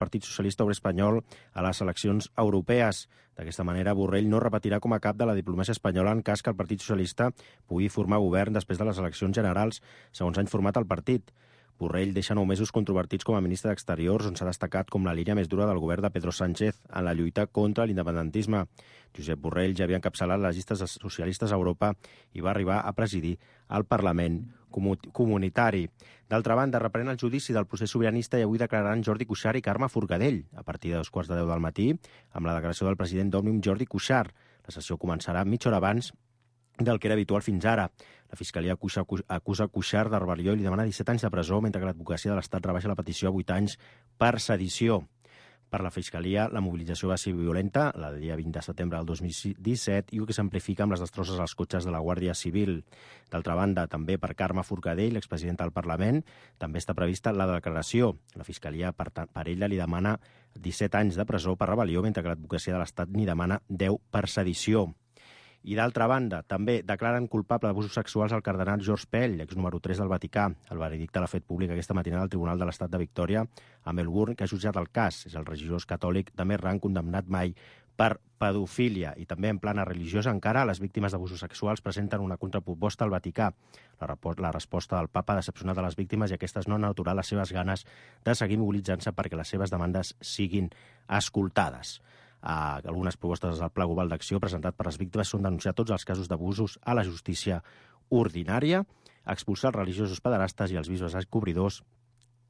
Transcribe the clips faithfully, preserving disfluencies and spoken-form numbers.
Partit Socialista Obrer Espanyol a les eleccions europees. D'aquesta manera, Borrell no repetirà com a cap de la diplomàcia espanyola en cas que el Partit Socialista pugui formar govern després de les eleccions generals, segons ha informat el partit. Borrell deixa nou mesos controvertits com a ministre d'Exteriors, on s'ha destacat com la línia més dura del govern de Pedro Sánchez en la lluita contra l'independentisme. Josep Borrell ja havia encapçalat les llistes socialistes a Europa i va arribar a presidir el Parlament comunitari. D'altra banda, reprèn el judici del procés sobiranista i avui declararan Jordi Cuixart i Carme Forcadell a partir de dos quarts de deu del matí amb la declaració del president d'Òmnium, Jordi Cuixart. La sessió començarà mitja hora abans del que era habitual fins ara. La Fiscalia acusa, acusa Cuixart de rebel·lió i li demana disset anys de presó, mentre que l'advocacia de l'Estat rebaixa la petició a vuit anys per sedició. Per la Fiscalia, la mobilització va ser violenta, la del dia vint de setembre del dos mil disset, i que s'amplifica amb les destrosses als cotxes de la Guàrdia Civil. D'altra banda, també per Carme Forcadell, l'expresidenta del Parlament, també està prevista la declaració. La Fiscalia, per, per ella, li demana disset anys de presó per rebel·lió, mentre que l'advocacia de l'Estat n'hi demana deu per sedició. I d'altra banda, també declaren culpable d'abusos sexuals al cardenal George Pell, ex número tres del Vaticà. El veredicte l'ha fet públic aquesta matinada al Tribunal de l'Estat de Victòria a Melbourne, que ha jutjat el cas. És el religiós catòlic de més rang condemnat mai per pedofília. I també en plana religiosa encara, les víctimes d'abusos sexuals presenten una contraproposta al Vaticà. La, la resposta del papa ha decepcionat a les víctimes i aquestes no han aturat les seves ganes de seguir mobilitzant-se perquè les seves demandes siguin escoltades. Uh, algunes propostes del Pla Global d'Acció presentat per les víctimes són denunciar tots els casos d'abusos a la justícia ordinària, expulsar els religiosos pederastes i els bisbes encobridors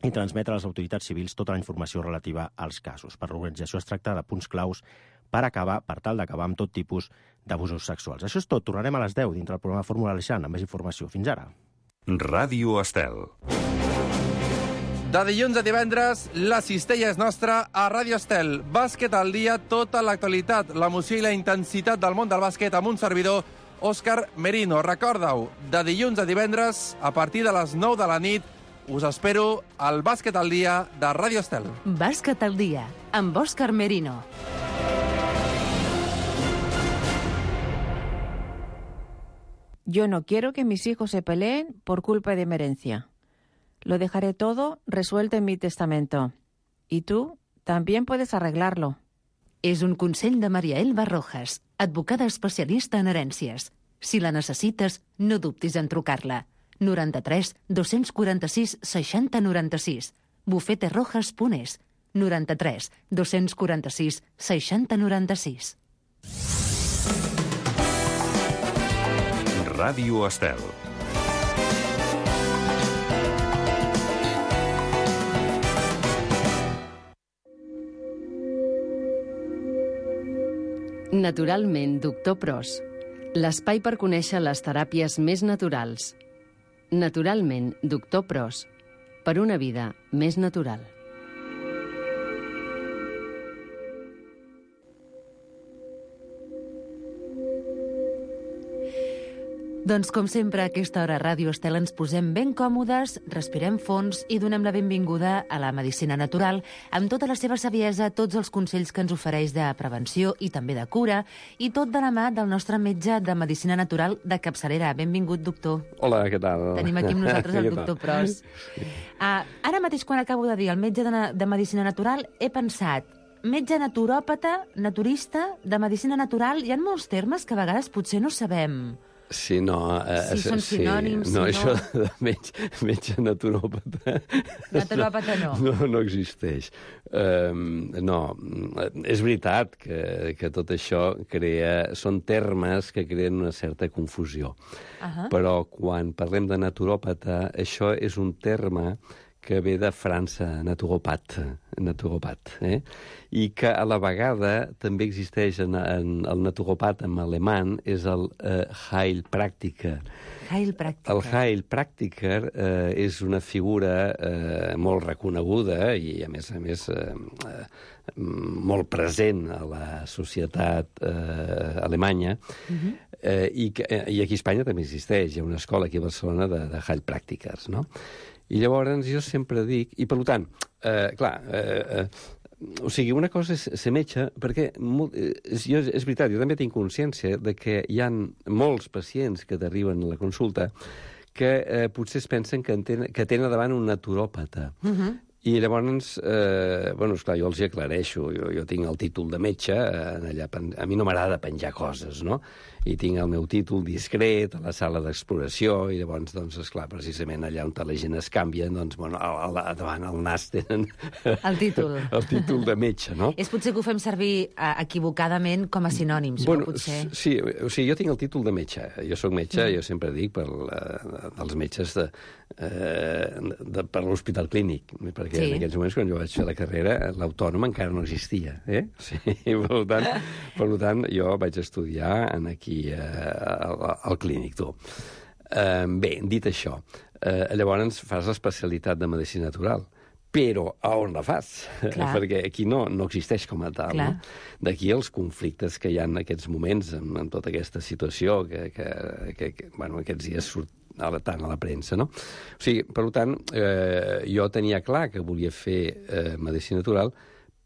i transmetre a les autoritats civils tota la informació relativa als casos. Per l'organització es tracta de punts claus per acabar, per tal d'acabar amb tot tipus d'abusos sexuals. Això és tot. Tornarem a les deu dintre del programa Fórmula Aleixant amb més informació. Fins ara. Ràdio Estel. De dilluns a divendres, la cistella és nostra a Ràdio Estel. Bàsquet al dia, tota l'actualitat, l'emoció i la intensitat del món del bàsquet amb un servidor, Òscar Merino. Recorda-ho, de dilluns a divendres, a partir de les nou de la nit, us espero al Bàsquet al dia de Ràdio Estel. Bàsquet al dia, amb Òscar Merino. Yo no quiero que mis hijos se peleen por culpa de mi herencia. Lo dejaré todo resuelto en mi testamento. Y tú también puedes arreglarlo. És un consell de Maria Elba Rojas, advocada especialista en herències. Si la necessites, no dubtis en trucar-la. noranta-tres dos-cents quaranta-sis seixanta noranta-sis. bufeterojas punt es. noranta-tres dos-cents quaranta-sis seixanta noranta-sis. Ràdio Estel. Naturalment, doctor Pros. L'espai per conèixer les teràpies més naturals. Naturalment, doctor Pros. Per una vida més natural. Doncs, com sempre, a aquesta hora a Ràdio Estel ens posem ben còmodes, respirem fons i donem la benvinguda a la medicina natural amb tota la seva saviesa, tots els consells que ens ofereix de prevenció i també de cura, i tot de la mà del nostre metge de medicina natural de capçalera. Benvingut, doctor. Hola, què tal? Tenim aquí amb nosaltres el doctor Pros. Uh, ara mateix, quan acabo de dir el metge de, de medicina natural, he pensat, metge naturòpata, naturista, de medicina natural, hi ha molts termes que a vegades potser no sabem. Sí, no... Eh, si són sinònims, sí. No, si això no... de metge, metge naturòpata... Naturòpata no. No, no existeix. Um, no, és veritat que, que tot això crea... Són termes que creen una certa confusió. Uh-huh. Però quan parlem de naturòpata, això és un terme que ve de França, naturopat, naturopat, eh? I que a la vegada també existeix en, en el naturopat en alemany, és el eh, Heilpraktiker. Heilpraktiker. El Heilpraktiker eh, és una figura eh, molt reconeguda i, a més a més, eh, eh, molt present a la societat eh, alemanya, uh-huh. eh, i, que, eh, i aquí a Espanya també existeix. Hi ha una escola aquí a Barcelona de, de Heilpraktikers, no? I llavors jo sempre dic... I per tant, eh, clar, eh, eh, o sigui, una cosa és ser metge, perquè molt, és, jo, és veritat, jo també tinc consciència de que hi ha molts pacients que t'arriben a la consulta que eh, potser es pensen que, entenen, que tenen davant un naturòpata. Uh-huh. I llavors, eh, bueno, esclar, jo els hi aclareixo. Jo, jo tinc el títol de metge, eh, allà, a mi no m'agrada penjar coses, no? I tinc el meu títol discret a la sala d'exploració, i llavors, doncs, esclar, precisament allà on la gent es canvia, doncs, bueno, al, al, davant al nas tenen... El títol. El títol de metge, no? És potser que ho fem servir eh, equivocadament com a sinònims, bueno, no? Potser... Sí, o sigui, jo tinc el títol de metge. Jo sóc metge, mm. jo sempre dic, per la, dels metges de, eh, de, per l'Hospital Clínic, perquè sí. en aquells moments, quan jo vaig fer la carrera, l'autònom encara no existia, eh? Sí, per tant, per tant, jo vaig estudiar en aquí eh, al, al clínic, tu. Eh, bé, dit això, eh, llavors fas l'especialitat de medicina natural, però a on la fas? Clar. Perquè aquí no, no existeix com a tal. No? D'aquí els conflictes que hi ha en aquests moments, en, en tota aquesta situació, que, que, que, que bueno, aquests dies surt tant a la premsa, no? O sigui, per tant, eh, jo tenia clar que volia fer eh, medicina natural,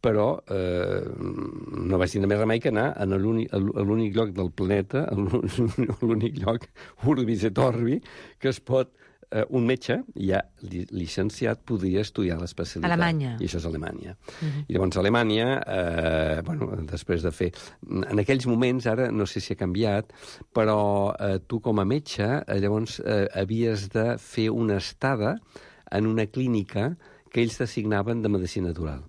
però eh, no vaig tenir més remei que anar a l'únic lloc del planeta, a l'únic lloc, Urbis et Orbi, que es pot, eh, un metge, ja llicenciat, podria estudiar l'especialitat. Alemanya. I això és Alemanya. Uh-huh. I llavors Alemanya, eh, bueno, després de fer... En aquells moments, ara no sé si ha canviat, però eh, tu com a metge, eh, llavors eh, havies de fer una estada en una clínica que ells t'assignaven de medicina natural.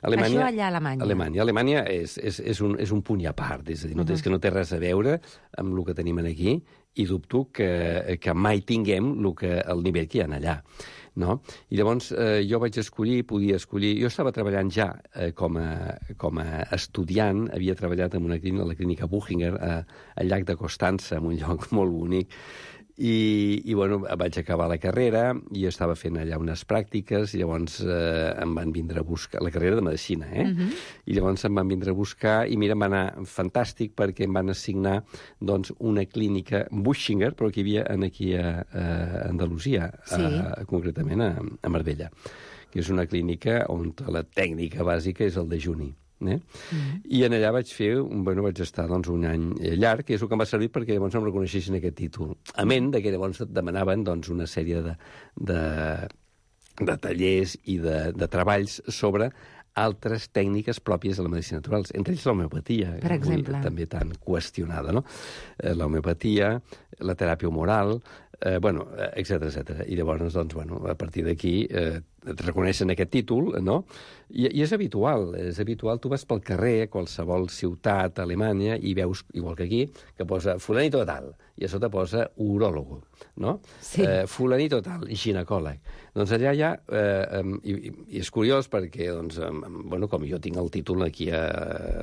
Alemanya, això allà a Alemanya. Alemanya, Alemanya és, és, és, un, és un punt i a part, és a dir, no, uh-huh. és que no té res a veure amb el que tenim aquí, i dubto que, que mai tinguem el, que, el nivell que hi ha allà. No? I llavors eh, jo vaig escollir, podia escollir... Jo estava treballant ja eh, com, a, com a estudiant, havia treballat en una clínica, la clínica Buchinger, a, al llac de Constança, en un lloc molt bonic, I, i bueno, vaig acabar la carrera i estava fent allà unes pràctiques i llavors eh, em van vindre a buscar... La carrera de medicina, eh? Uh-huh. I llavors em van vindre a buscar i mira, em va anar fantàstic perquè em van assignar doncs, una clínica Buchinger, però que hi havia aquí a, a Andalusia, sí. a, concretament a, a Marbella, que és una clínica on la tècnica bàsica és el dejuni. Eh? Mm. I en allà vaig fer, bueno, vaig estar doncs, un any llarg, que és el que em va servir perquè llavors em reconeixessin aquest títol. A ment de que llavors et demanaven doncs, una sèrie de, de, de tallers i de, de treballs sobre altres tècniques pròpies de la medicina natural, entre ells l'homeopatia, per exemple, també tan qüestionada, no? L'homeopatia, la teràpia humoral, eh, bueno, etcètera, etcètera. I llavors, doncs, bueno, a partir d'aquí eh, et reconeixen aquest títol, no? I, I és habitual, és habitual. Tu vas pel carrer, a qualsevol ciutat a Alemanya, i veus, igual que aquí, que posa fulanito tal, i a sota posa uròlogo, no? Sí. Eh, fulanito tal, ginecòleg. Doncs allà hi ha... Eh, i, I és curiós perquè, doncs, eh, bueno, com jo tinc el títol aquí a,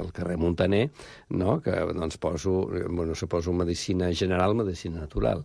al carrer Montaner, no? Que, doncs, poso, bueno, suposo medicina general, medicina natural.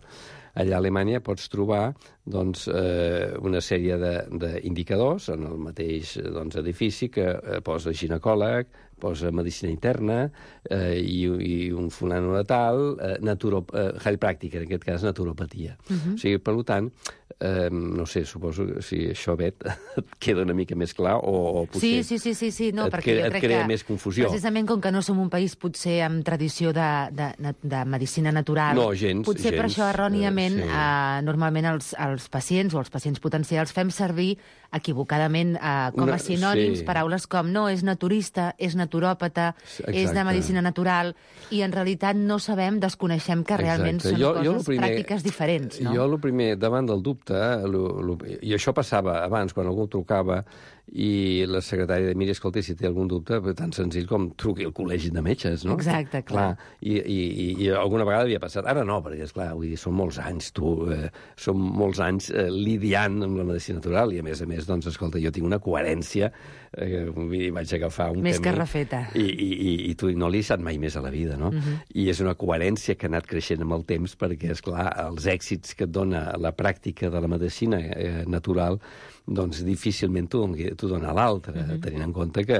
Allà a Alemanya pots trobar doncs, eh, una sèrie d'indicadors en el mateix doncs, edifici que eh, posa ginecòleg, posa medicina interna eh, i, i un fulano de tal, eh, naturo, eh, heilpràctica, en aquest cas naturopatia. Uh-huh. O sigui, per tant, eh, no sé, suposo que si això, Bet, et queda una mica més clar o, o potser sí, sí, sí, sí, sí. No, et, perquè cre jo crec et crea que, més confusió. Precisament com que no som un país potser amb tradició de, de, de medicina natural, no, gens, potser gens, per això erròniament eh, sí. eh, normalment els, els pacients o els pacients potencials fem servir equivocadament eh, com a sinònims sí. paraules com no, és naturista, és naturòpata, exacte. És de medicina natural, i en realitat no sabem, desconeixem que realment exacte. Són jo, coses jo primer, pràctiques diferents. No? Jo el primer, davant del dubte, lo, lo, i això passava abans, quan algú trucava i la secretària de mira, escolta, si té algun dubte, tan senzill com truqui al col·legi de metges, no? Exacte, clar. clar i, i, i alguna vegada havia passat. Ara no, perquè, esclar, vull dir, són molts anys, tu, eh, són molts anys eh, lidiant amb la medicina natural, i a més a més, doncs, escolta, jo tinc una coherència, eh, vull dir, vaig agafar un més camí... que refeta. I, i, i, i tu no l'he estat mai més a la vida, no? Uh-huh. I és una coherència que ha anat creixent amb el temps, perquè, esclar, els èxits que et dona la pràctica de la medicina eh, natural, doncs difícilment t'ho dona l'altre, uh-huh. tenint en compte que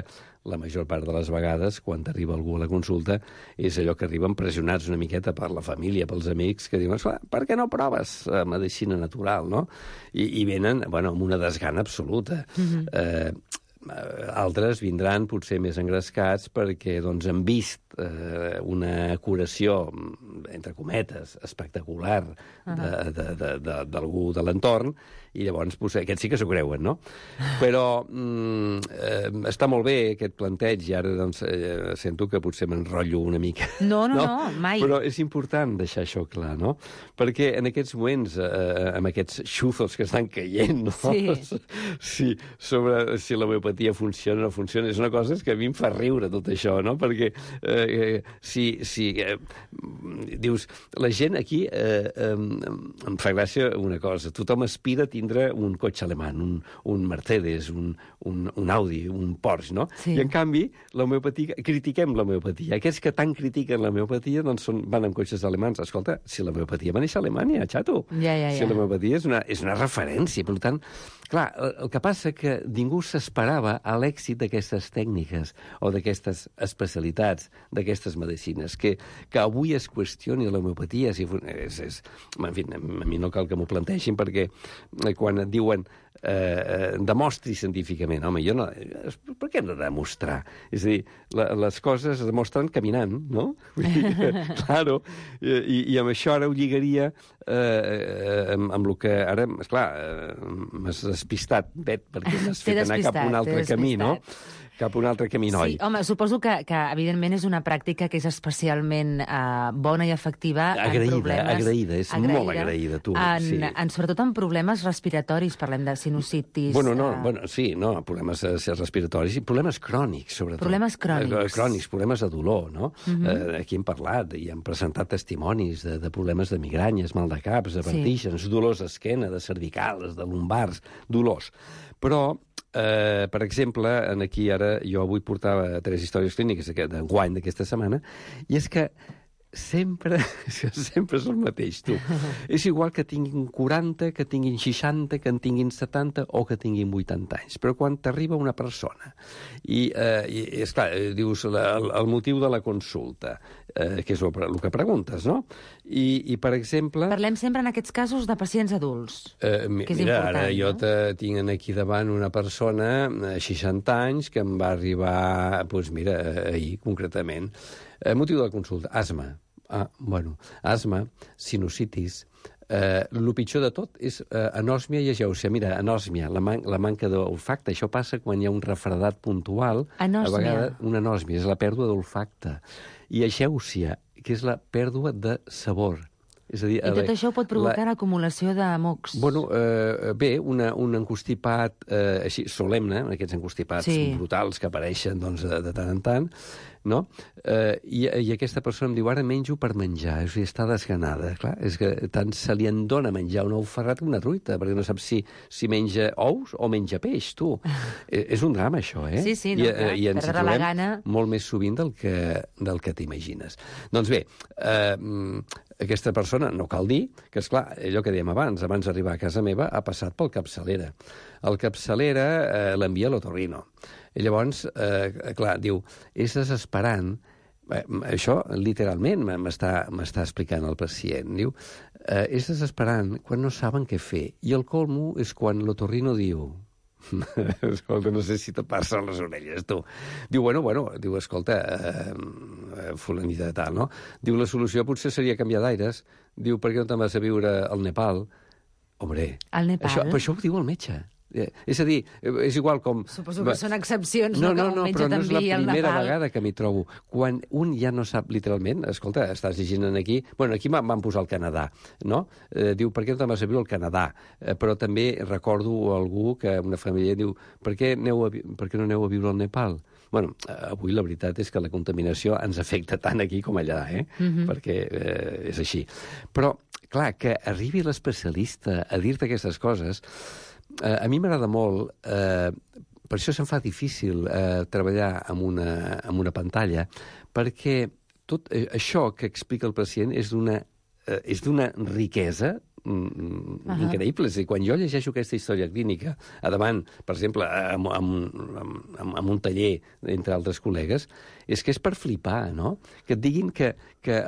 la major part de les vegades, quan t'arriba algú a la consulta, és allò que arriben pressionats una miqueta per la família, pels amics, que diuen, per què no proves eh, medicina natural, no? I, i venen, bueno, amb una desgana absoluta. Uh-huh. eh, altres vindran potser més engrescats perquè doncs, han vist eh, una curació, entre cometes, espectacular d'algú de l'entorn, i llavors potser aquests sí que s'ho creuen, no? Però mm, eh, està molt bé aquest planteig, i ara doncs, eh, sento que potser m'enrotllo una mica. No, no, no, no, mai. Però és important deixar això clar, no? Perquè en aquests moments, eh, amb aquests xuzos que estan caient, no? Sí. Sí, sobre si l'homeopatia funciona o no funciona, és una cosa que a mi em fa riure tot això, no? Perquè eh, si, si eh, dius, la gent aquí eh, eh, em fa gràcia una cosa, tothom aspira a tindre un cotxe alemany, un, un Mercedes, un, un, un Audi, un Porsche, no? Sí. I en canvi, l'homeopatia, critiquem l'homeopatia. Aquests que tant critiquen l'homeopatia doncs són, van amb cotxes alemans. Escolta, si l'homeopatia va néixer a Alemanya, xato. Ja, ja, ja. Si l'homeopatia és una, és una referència, per tant, clar, el, el que passa que ningú s'esperava a l'èxit d'aquestes tècniques o d'aquestes especialitats, d'aquestes medicines, que, que avui es qüestioni l'homeopatia. Si, és, és, en fi, a mi no cal que m'ho plantegin perquè quan et diuen eh, demostri científicament, home, jo no... Per què no demostrar? És a dir, la, les coses es demostren caminant, no? Claro, i, i amb això ara ho lligaria eh, amb, amb el que ara, esclar, eh, m'has despistat, Bet, perquè m'has fet anar cap a un altre camí, no? Cap a un altre camí, noi. Sí, home, suposo que, que evidentment és una pràctica que és especialment uh, bona i efectiva agraïda, en problemes... Agraïda, és agraïda, molt agraïda, tu. En, sí. en, sobretot en problemes respiratoris, parlem de sinusitis... Bueno, no, uh... bueno, sí, no, problemes uh, respiratoris i problemes crònics, sobretot. Problemes crònics. Uh, crònics, problemes de dolor, no? Uh Mhm. -huh. uh, aquí hem parlat i hem presentat testimonis de, de problemes de migranyes, mal de caps, de vertígens, sí. dolors d'esquena, de cervicals, de lumbars, dolors. Però... Uh, per exemple, en aquí ara jo avui portava tres històries clíniques d'enguany d'aquesta setmana, i és que sempre, sempre és el mateix, tu. És igual que tinguin quaranta, que tinguin seixanta, que en tinguin setanta o que tinguin vuitanta anys. Però quan t'arriba una persona i, eh, i és clar, dius la, el, el motiu de la consulta, eh, que és el, el que preguntes, no? I, i per exemple... Parlem sempre en aquests casos de pacients adults, eh, mi, que és mira, important, ara jo no? te tinc aquí davant una persona de seixanta anys que em va arribar, doncs mira, ahir concretament. Eh, motiu de la consulta, asma. Ah, bueno, asma, sinusitis. Eh, el pitjor de tot és eh, anòsmia i agèusia. Mira, anòsmia, la, man la manca d'olfacte. Això passa quan hi ha un refredat puntual. Anòsmia. A vegades, una anòsmia, és la pèrdua d'olfacte. I agèusia, que és la pèrdua de sabor. És a dir, I tot la, això pot provocar la... acumulació de mocs. Bueno, eh, bé, una, un encostipat eh, així solemne, aquests encostipats sí. brutals que apareixen doncs, de, de tant en tant, no? Eh, i, I aquesta persona em diu, ara menjo per menjar, és a dir, està desganada. Clar, és que tant se li en dona menjar un ou ferrat que una truita, perquè no sap si, si menja ous o menja peix, tu. eh, és un drama, això, eh? Sí, sí, no, I, clar, i ens perdre la trobem gana... molt més sovint del que, del que t'imagines. Doncs bé, eh, aquesta persona, no cal dir, que, esclar, allò que dèiem abans, abans d'arribar a casa meva, ha passat pel capçalera. El capçalera eh, l'envia a l'otorrino. I llavors, eh, clar, diu, és desesperant, eh, això literalment m'està explicant el pacient, diu, eh, és desesperant quan no saben què fer. I el colmo és quan l'otorrino diu, escolta, no sé si te passa a les orelles, tu. Diu, bueno, bueno, diu, escolta, eh, fulanita de tal, no? Diu, la solució potser seria canviar d'aires. Diu, per què no te'n vas a viure al Nepal? Hombre, al Nepal? Això, però això ho diu el metge. Eh, és a dir, és igual com... Suposo que són excepcions, no, no, no, no, que però no és la el primera Nepal. vegada que m'hi trobo. Quan un ja no sap literalment, escolta, estàs llegint aquí... Bueno, aquí em van posar el Canadà, no? Eh, diu, per què no te'n vas a viure al Canadà? Eh, però també recordo algú que una família diu, per què, aneu a, per què no aneu a viure al Nepal? Bueno, avui la veritat és que la contaminació ens afecta tant aquí com allà, eh? Mm-hmm. Perquè eh, és així. Però, clar, que arribi l'especialista a dir-te aquestes coses... Eh, a mi m'agrada molt, eh, per això se'm fa difícil eh, treballar amb una, amb una pantalla, perquè tot eh, això que explica el pacient és d'una eh, és d'una riquesa mm, uh-huh. increïble. És a dir, quan jo llegeixo aquesta història clínica, a davant, per exemple, amb, amb, amb, amb un taller entre altres col·legues, és que és per flipar, no? Que et diguin que, que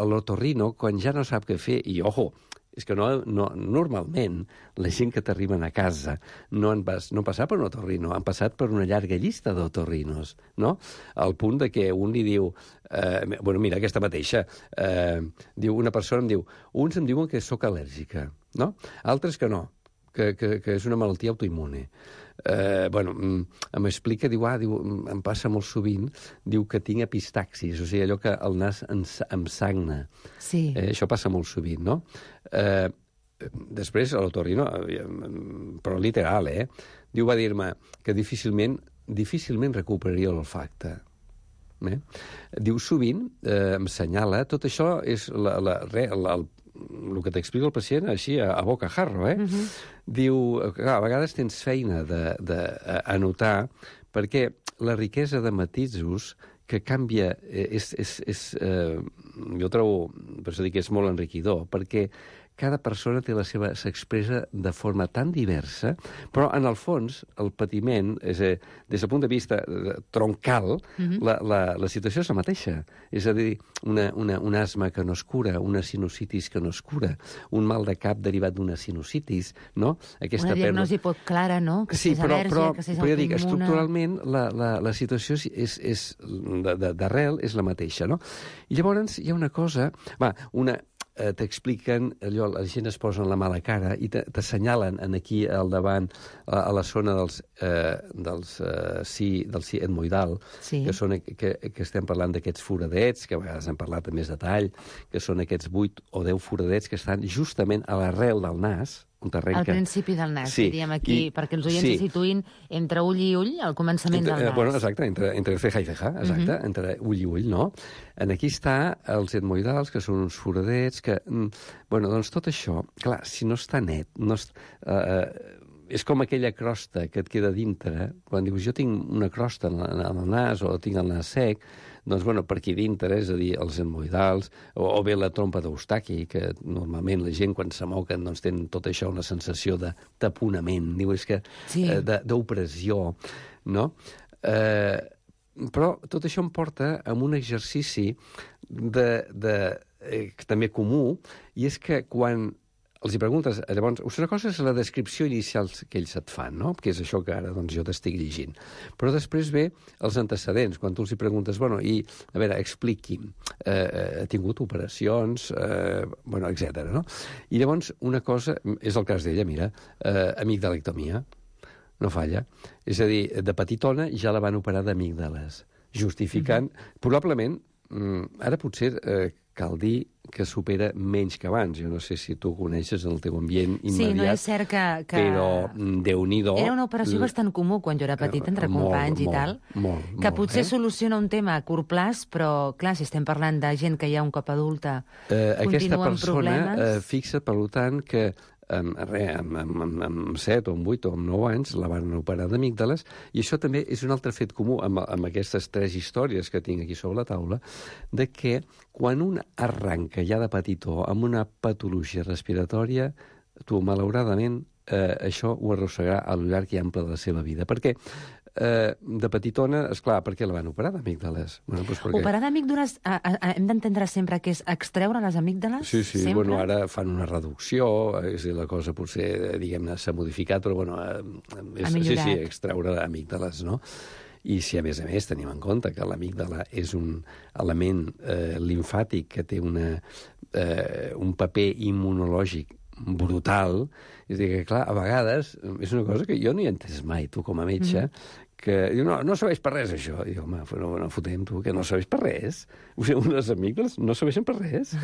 l'otorrino, quan ja no sap què fer, i, ojo, és que no, no, normalment la gent que t'arriben a casa no han, pas, no han passat per un otorrino, han passat per una llarga llista d'otorrinos, no? Al punt de que un li diu... Eh, bueno, mira, aquesta mateixa. Eh, diu, una persona em diu... Uns em diuen que sóc al·lèrgica, no? Altres que no, que, que, que és una malaltia autoimmune. Eh, bueno, m'explica, diu, ah, diu, em passa molt sovint, diu que tinc epistaxis, o sigui, allò que el nas ens, em sagna. Sí. Eh, això passa molt sovint, no? Eh, després, a l'otorrino, però literal, eh? Diu, va dir-me que difícilment, difícilment recuperaria l'olfacte. Eh? Diu, sovint, eh, em senyala, tot això és la, la, re, la, el el que t'explica el pacient així, a, a boca jarro, eh? Uh-huh. Diu, clar, a vegades tens feina d'anotar, perquè la riquesa de matisos que canvia, és, és, és, eh, jo trobo, per això dic que és molt enriquidor, perquè cada persona té la seva, s'expressa de forma tan diversa, però en el fons el patiment, és a, des del punt de vista troncal, mm-hmm. la, la, la situació és la mateixa. És a dir, una, una, un asma que no es cura, una sinusitis que no es cura, un mal de cap derivat d'una sinusitis, no? Aquesta una diagnosi perla... poc clara, no? Que sí, si és però, al·lèrgia, però, que si és però ja dic, autoimmune... estructuralment la, la, la situació és, és d'arrel és la mateixa, no? I llavors hi ha una cosa... Va, una... Eh, t'expliquen, allò, la gent es posa la mala cara i t'assenyalen aquí al davant, a, a la zona dels, eh, dels eh, sí, del sí etmoidal, sí. que, són, que, que estem parlant d'aquests foradets, que a vegades hem parlat amb més detall, que són aquests vuit o deu foradets que estan justament a l'arrel del nas, al principi del nas, sí. diríem aquí, I, perquè els oients sí. se situïn entre ull i ull, al començament entre, del nas. Bueno, exacte, entre, entre ceja i ceja, exacte, uh-huh. entre ull i ull, no? En aquí està els etmoidals, que són uns foradets, que... Bueno, doncs tot això, clar, si no està net, no és, uh, és com aquella crosta que et queda dintre, quan dius, jo tinc una crosta en, en el nas o tinc el nas sec, doncs, bueno, per aquí dintre, és a dir, els etmoidals, o, o bé la trompa d'Eustaqui, que normalment la gent, quan se moquen, doncs tenen tot això una sensació de taponament, diu, és que sí. eh, d'opressió, no? Eh, però tot això em porta a un exercici de, de, eh, també comú, i és que quan els hi preguntes, llavors, una cosa és la descripció inicial que ells et fan, no? Que és això que ara doncs, jo t'estic llegint. Però després ve els antecedents, quan tu els hi preguntes, bueno, i, a veure, expliqui'm, eh, ha tingut operacions, eh, bueno, etcètera, no? I llavors, una cosa, és el cas d'ella, mira, eh, amigdalectomia, no falla. És a dir, de petitona ja la van operar d'amígdales, justificant, mm-hmm. probablement, ara potser eh, cal dir que supera menys que abans. Jo no sé si tu coneixes en el teu ambient immediat. Sí, no és cert que... que... Però, Déu-n'hi-do... Era una operació l... bastant comú quan jo era petit, entre molt, companys i molt, tal, molt, que molt, potser eh? soluciona un tema a curt plaç, però, clar, si estem parlant de gent que ja un cop adulta eh, continua amb aquesta problemes... persona eh, fixa, per tant, que amb, re, amb, amb, amb set o amb vuit o amb nou anys la van operar d'amígdales, i això també és un altre fet comú amb, amb aquestes tres històries que tinc aquí sobre la taula, de que quan un arranca ja de petitó amb una patologia respiratòria, tu, malauradament, eh, això ho arrossegarà a lo llarg i ample de la seva vida. Perquè eh, de petitona, esclar, per què la van operar d'amígdales? Bueno, doncs perquè... Operar d'amígdales, hem d'entendre sempre que és extreure les amígdales? Sí, sí, sempre? Bueno, ara fan una reducció, és dir, la cosa potser, diguem-ne, s'ha modificat, però bueno, és, sí, sí, extreure amígdales, no? I si, a més a més, tenim en compte que l'amígdala és un element eh, limfàtic que té una, eh, un paper immunològic brutal, és a dir, que, clar, a vegades és una cosa que jo no hi he entès mai, tu com a metge, mm. que diu, no, no serveix per res, això. I diu, home, no, no fotem, tu, que no serveix per res. O sigui, unes amígdales no serveixen per res.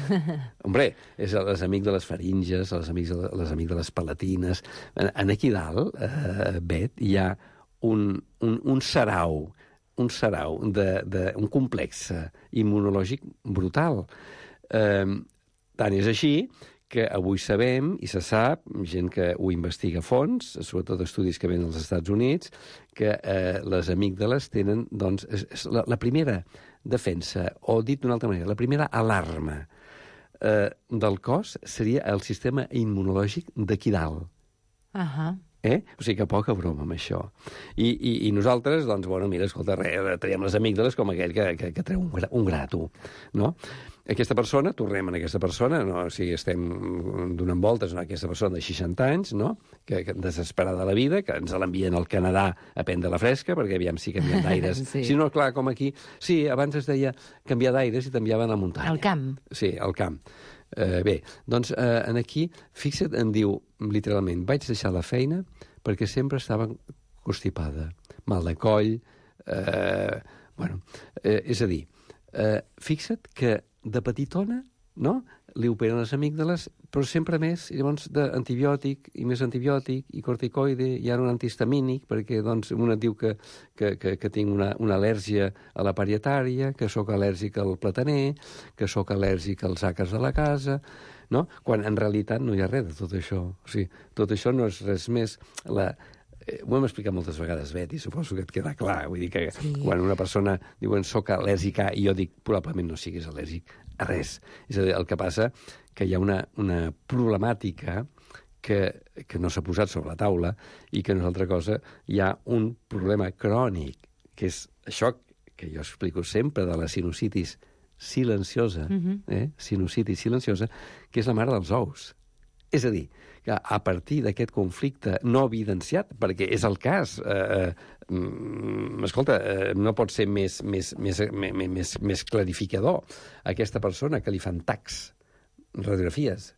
Hombre, és a les amígdales farínges, a les amígdales, les amígdales palatines. En, en aquí dalt, eh, Bet, hi ha un, un, un sarau, un sarau, de, de, un complex immunològic brutal. Eh, tant és així que avui sabem, i se sap, gent que ho investiga a fons, sobretot estudis que venen als Estats Units, que eh, les amígdales tenen, doncs, és, és la, la primera defensa, o dit d'una altra manera, la primera alarma eh, del cos seria el sistema immunològic d'aquí dalt. Uh-huh. Eh? O sigui que poca broma amb això. I, i, i nosaltres, doncs, bueno, mira, escolta, re, traiem les amígdales com aquell que, que, que treu un, gra, un gra, tu, no? Aquesta persona, tornem a aquesta persona, no? O sigui, estem donant voltes a aquesta persona de seixanta anys, no? Que, que desesperada de la vida, que ens l'envien al Canadà a prendre la fresca, perquè aviam si canvien d'aires. Sí. Si no, clar, com aquí... Sí, abans es deia canviar d'aires i t'enviaven a la muntanya. Al camp. Sí, al camp. Uh, bé, doncs uh, en aquí, fixa't, em diu literalment, vaig deixar la feina perquè sempre estava constipada, mal de coll, eh, bueno, eh, és a dir, eh, fixa't que de petitona, no?, li operen les amígdales, però sempre més, i llavors d'antibiòtic, i més antibiòtic, i corticoide, i ara un antihistamínic, perquè doncs un et diu que, que, que, que tinc una, una al·lèrgia a la parietària, que sóc al·lèrgic al plataner, que sóc al·lèrgic als àcars de la casa, no? Quan en realitat no hi ha res de tot això. O sigui, tot això no és res més... La, eh, ho hem explicat moltes vegades, Betty, suposo que et queda clar. Vull dir que sí. Quan una persona diuen soc al·lèrgic a, i jo dic probablement no siguis al·lèrgic a res. És a dir, el que passa que hi ha una, una problemàtica que, que no s'ha posat sobre la taula i que no és altra cosa, hi ha un problema crònic, que és això que jo explico sempre de la sinusitis silenciosa, uh-huh. eh? sinusitis silenciosa, que és la mare dels ous. És a dir, que a partir d'aquest conflicte no evidenciat, perquè és el cas, eh, mm, escolta, eh, no pot ser més, més, més, més, més, més clarificador aquesta persona que li fan tacs, radiografies,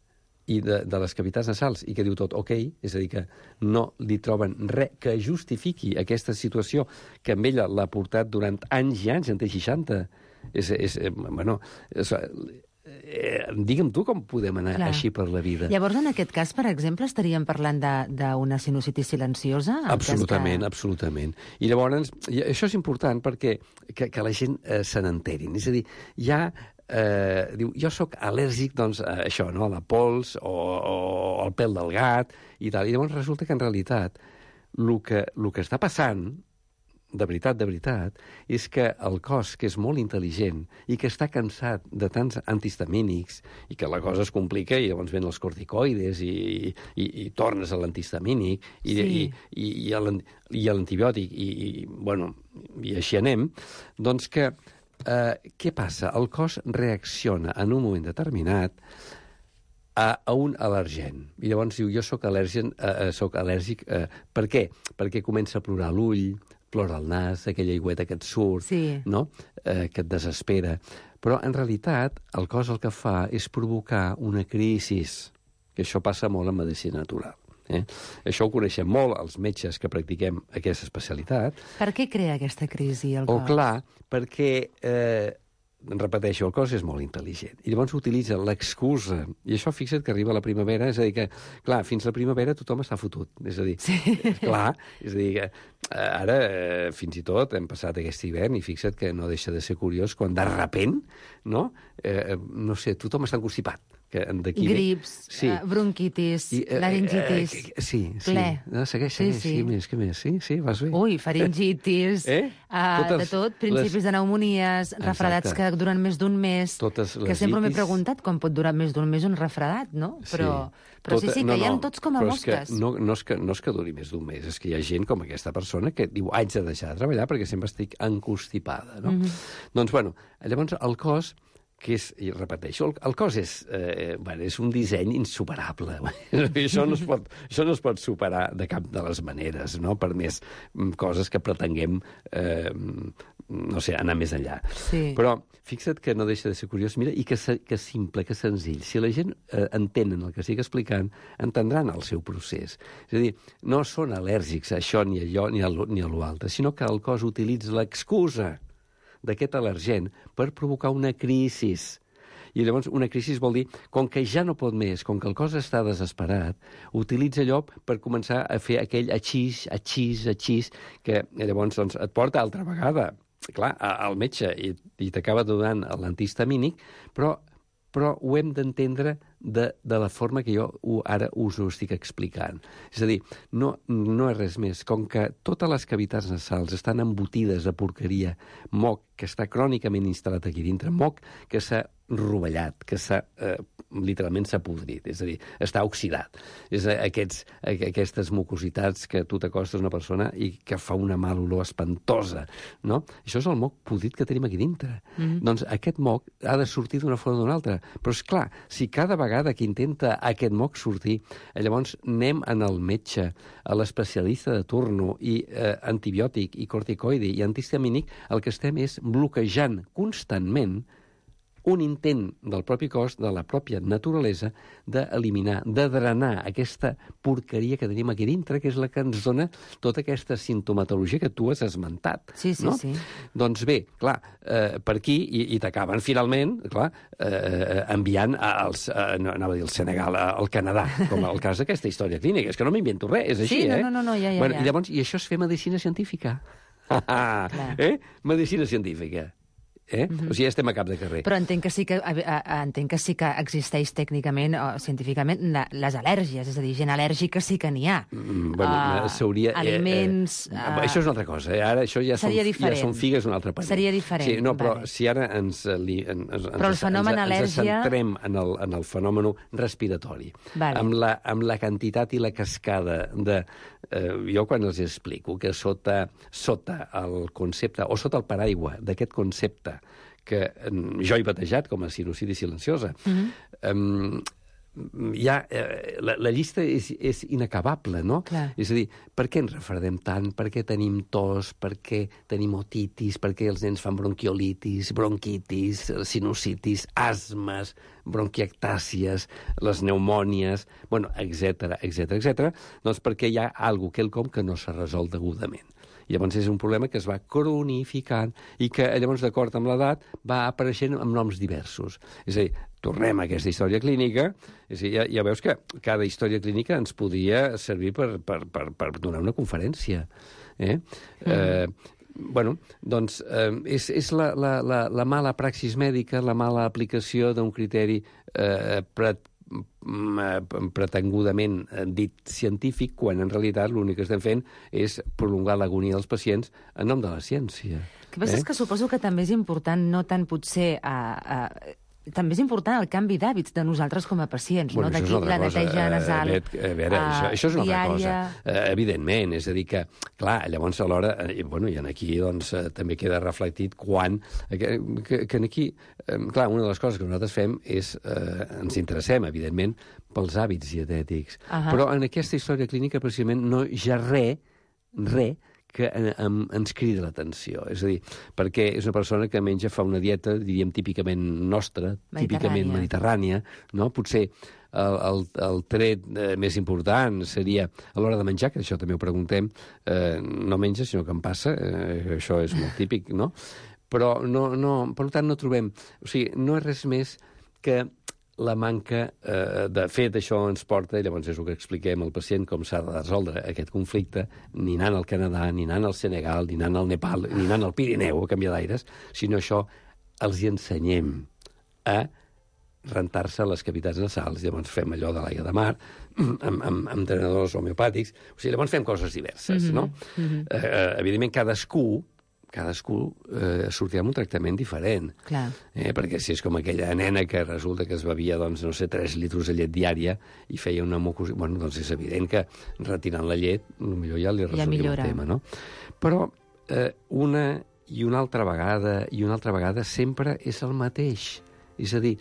i de, de les cavitats nasals, i que diu tot ok, és a dir, que no li troben res que justifiqui aquesta situació que amb ella l'ha portat durant anys i anys, en té seixanta. És, és, bueno, és, eh, digue'm tu com podem anar Clar. Així per la vida. Llavors, en aquest cas, per exemple, estaríem parlant d'una sinusitis silenciosa? Absolutament, que... absolutament. I llavors, això és important perquè que, que la gent eh, se n'enterin. És a dir, hi ha Eh, diu, jo sóc al·lèrgic doncs, a això, no? A la pols o, o al pèl del gat i tal. I llavors resulta que en realitat el que, el que està passant, de veritat, de veritat, és que el cos, que és molt intel·ligent i que està cansat de tants antihistamínics i que la cosa es complica i llavors ven els corticoides i, i, i tornes a l'antihistamínic i, sí. i, i, i a l'antibiòtic i, i, bueno, i així anem, doncs que Uh, què passa? El cos reacciona en un moment determinat a, a un al·lergen. I llavors diu, jo sóc al·lèrgic, uh, soc al·lèrgic uh, per què? Perquè comença a plorar l'ull, plora el nas, aquella aigüeta que et surt, sí. no? uh, que et desespera. Però, en realitat, el cos el que fa és provocar una crisi, que això passa molt en medicina natural. Eh? Això ho coneixem molt els metges que practiquem aquesta especialitat. Per què crea aquesta crisi el cos? Oh, clar, perquè, eh, repeteixo, el cos és molt intel·ligent. I llavors utilitza l'excusa. I això, fixa't que arriba la primavera, és a dir que, clar, fins la primavera tothom està fotut. És a dir, sí. clar, és a dir que ara, eh, fins i tot, hem passat aquest hivern i fixa't que no deixa de ser curiós quan de repent, no? Eh, no sé, tothom està constipat. Que grips, sí. uh, bronquitis, I, uh, laringitis, uh, uh, sí, sí. ple. No, segueix, segueix, sí, sí. sí, més, què més? Sí, sí, vas bé. Ui, faringitis, eh? uh, Totes de tot, principis les... de pneumonies, refredats Exacte. Que duren més d'un mes, Totes que sempre m'he preguntat com pot durar més d'un mes un refredat, no? Però sí, però Tota... sí, sí que no, hi ha no, tots com a mosques. No, no, és que, no és que duri més d'un mes, és que hi ha gent com aquesta persona que diu haig de deixar de treballar perquè sempre estic encostipada, no? Mm -hmm. Doncs, bueno, llavors el cos que és, i repeteixo, el, el cos és, eh, bueno, és un disseny insuperable. això, no es pot, això no es pot superar de cap de les maneres, no? Per més coses que pretenguem, eh, no sé, anar més enllà. Sí. Però fixa't que no deixa de ser curiós, mira, i que, que simple, que senzill. Si la gent eh, entenen el que estic explicant, entendran el seu procés. És a dir, no són al·lèrgics a això, ni a allò, ni a, ni a l'altre, sinó que el cos utilitza l'excusa d'aquest al·lergen per provocar una crisi. I llavors una crisi vol dir, com que ja no pot més, com que el cos està desesperat, utilitza allò per començar a fer aquell atxís, atxís, atxís, que llavors doncs, et porta altra vegada, clar, al metge i, i t'acaba donant l'antihistamínic, però, però ho hem d'entendre de, de la forma que jo ho, ara us ho estic explicant. És a dir, no, no és res més. Com que totes les cavitats nasals estan embotides de porqueria, moc que està crònicament instal·lat aquí dintre, moc que s'ha rovellat, que s'ha, eh, literalment s'ha podrit, és a dir, està oxidat. És aquests, aquestes mucositats que tu t'acostes a una persona i que fa una mal olor espantosa, no? Això és el moc podrit que tenim aquí dintre. Mm-hmm. Doncs aquest moc ha de sortir d'una forma o d'una altra. Però, és clar, si cada vegada que intenta aquest moc sortir, llavors anem en el metge, a l'especialista de turno, i eh, antibiòtic, i corticoide, i antihistamínic, el que estem és bloquejant constantment un intent del propi cos, de la pròpia naturalesa, d'eliminar, de drenar aquesta porqueria que tenim aquí dintre, que és la que ens dona tota aquesta sintomatologia que tu has esmentat. Sí, sí, no? sí. Doncs bé, clar, eh, per aquí, i, i t'acaben finalment, clar, eh, enviant als, eh, no, anava a dir al Senegal, al Canadà, com el cas d'aquesta història clínica. És que no m'invento res, és així, sí, eh? no, no, no, ja, ja, bueno, ja. I llavors, i això és fer medicina científica. eh? Medicina científica. Eh? Mm-hmm. O sigui, estem a cap de carrer. Però entenc que sí que, a, a, entenc que, sí que existeix tècnicament o científicament la, les al·lèrgies, és a dir, gent al·lèrgica sí que n'hi ha. Mm, bueno, uh, s'hauria... Aliments... Eh, eh, uh, això és una altra cosa. Eh? Ara això ja són, ja són figues un altre paner. Seria diferent. Sí, no, però vale. si ara ens, li, ens, ens, però el fenomen ens, al·lèrgia... ens centrem en el, en el fenomen respiratori, vale. amb, la, amb la quantitat i la cascada de... Eh, jo quan els explico que sota, sota el concepte, o sota el paraigua d'aquest concepte que jo he batejat com a sinusitis silenciosa, mm-hmm. um, ja, eh, la, la llista és, és inacabable, no? Clar. És a dir, per què ens refredem tant? Per què tenim tos? Per què tenim otitis? Per què els nens fan bronquiolitis, bronquitis, sinusitis, asmes, bronquiectàcies, les pneumònies, bueno, etcètera, etcètera, etcètera, doncs perquè hi ha alguna cosa, quelcom que no s'ha resolt degudament. I llavors és un problema que es va cronificant i que llavors, d'acord amb l'edat, va apareixent amb noms diversos. És a dir, tornem a aquesta història clínica, és a dir, ja, ja veus que cada història clínica ens podria servir per, per, per, per donar una conferència. Eh? Mm. Eh, bueno, doncs eh, és, és la, la, la, la mala praxis mèdica, la mala aplicació d'un criteri eh, pret pretengudament dit científic, quan en realitat l'únic que estem fent és prolongar l'agonia dels pacients en nom de la ciència. El que passa eh? és que suposo que també és important, no tant potser a, a, també és important el canvi d'hàbits de nosaltres com a pacients, bueno, no? D'aquí la neteja nasal a veure, uh, això, això és una diària... altra cosa. Uh, evidentment, és a dir que, clar, llavors alhora, i, bueno, i aquí doncs, uh, també queda reflectit quan... Que, que, que aquí, um, clar, una de les coses que nosaltres fem és... Uh, ens interessem, evidentment, pels hàbits dietètics. Uh -huh. Però en aquesta història clínica, precisament, no hi ha res, res, que en, ens crida l'atenció. És a dir, perquè és una persona que menja, fa una dieta, diríem, típicament nostra, típicament mediterrània, no? Potser el, el, el tret eh, més important seria a l'hora de menjar, que això també ho preguntem, eh, no menja, sinó que em passa, eh, això és molt típic, no? Però, no, no, per tant, no trobem... O sigui, no és res més que la manca eh, de fet, això ens porta, i llavors és el que expliquem al pacient com s'ha de resoldre aquest conflicte, ni anant al Canadà, ni anant al Senegal, ni anant al Nepal, ni anant al Pirineu a canviar d'aires, sinó això els hi ensenyem a rentar-se les cavitats nasals. Llavors fem allò de l'aigua de mar, amb, amb, amb drenadors homeopàtics. O sigui, llavors fem coses diverses, mm-hmm. no? Mm-hmm. Eh, evidentment, cadascú cadascú eh, sortirà amb un tractament diferent. Clar. Eh, perquè si és com aquella nena que resulta que es bevia, doncs, no sé, tres litres de llet diària i feia una mucosa... Bueno, doncs és evident que retirant la llet potser ja li resolia el tema, no? Però eh, una i una altra vegada i una altra vegada sempre és el mateix. És a dir,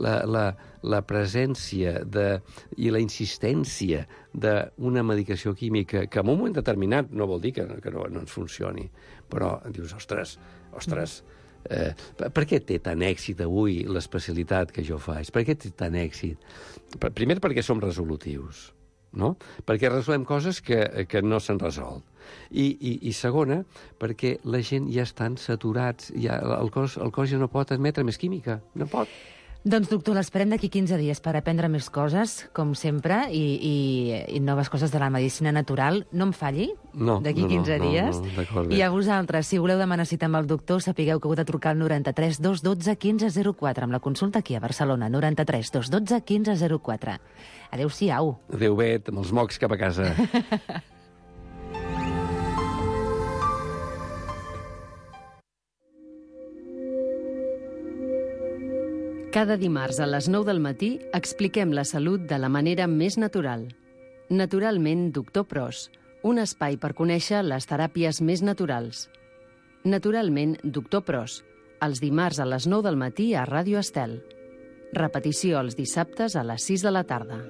la, la, la presència de, i la insistència d'una medicació química que en un moment determinat no vol dir que, que no, no ens funcioni, però dius, ostres, ostres, eh, per què té tant èxit avui l'especialitat que jo faig? Per què té tant èxit? Primer, perquè som resolutius, no? Perquè resolem coses que, que no s'han resolt. I, i, i segona, perquè la gent ja estan saturats, ja, el, cos, el cos ja no pot admetre més química, no pot. Doncs, doctor, l'esperem d'aquí quinze dies per aprendre més coses, com sempre, i, i, i noves coses de la medicina natural. No em falli, no, d'aquí no, quinze no, dies. No, no, I a vosaltres, si voleu demanar cita amb el doctor, sapigueu que heu de trucar al noranta-tres dos dotze quinze zero quatre, amb la consulta aquí a Barcelona, noranta-tres dos dotze quinze zero quatre. Adéu-siau. Adéu, Bet, amb els mocs cap a casa. Cada dimarts a les nou del matí expliquem la salut de la manera més natural. Naturalment, doctor Pros, un espai per conèixer les teràpies més naturals. Naturalment, doctor Pros, els dimarts a les nou del matí a Ràdio Estel. Repetició els dissabtes a les sis de la tarda.